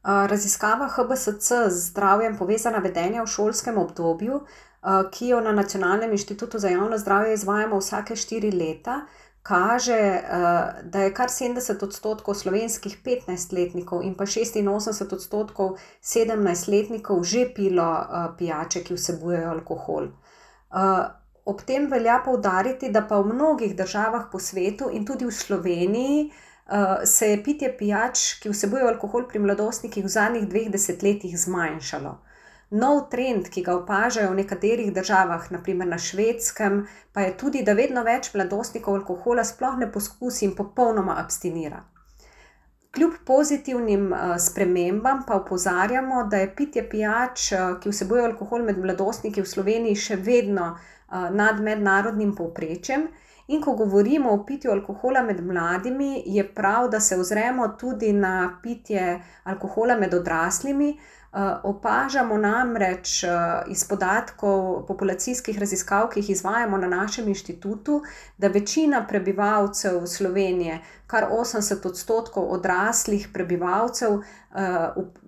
Raziskava HBSC z zdravjem povezana vedenja v šolskem obdobju, ki jo na Nacionalnem inštitutu za javno zdravje izvajamo vsake 4 leta, kaže, da je kar 70% slovenskih 15-letnikov in pa 86% 17-letnikov že pilo pijače, ki vsebujejo alkohol. Ob tem velja poudariti, da pa v mnogih državah po svetu in tudi v Sloveniji se je pitje pijač, ki vsebujejo alkohol pri mladostnikih v zadnjih 2 desetletjih zmanjšalo. Nov trend, ki ga opažajo v nekaterih državah, na primer na Švedskem, pa je tudi, da vedno več mladostnikov alkohola sploh ne poskusi in popolnoma abstinira. Kljub pozitivnim spremembam pa opozarjamo, da je pitje pijač, ki vsebujejo alkohol med mladostniki v Sloveniji še vedno nad mednarodnim povprečjem. In ko govorimo o pitju alkohola med mladimi, je prav, da se ozremo tudi na pitje alkohola med odraslimi. Opažamo namreč iz podatkov populacijskih raziskav, ki jih izvajamo na našem inštitutu, da večina prebivalcev Slovenije, kar 80% odraslih prebivalcev,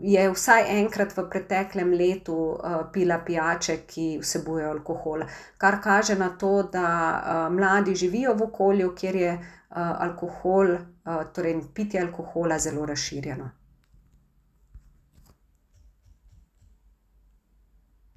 je vsaj enkrat v preteklem letu pila pijače, ki vsebujejo alkohol. Kar kaže na to, da mladi živijo v okolju, kjer je alkohol, torej pitje alkohola zelo razširjeno.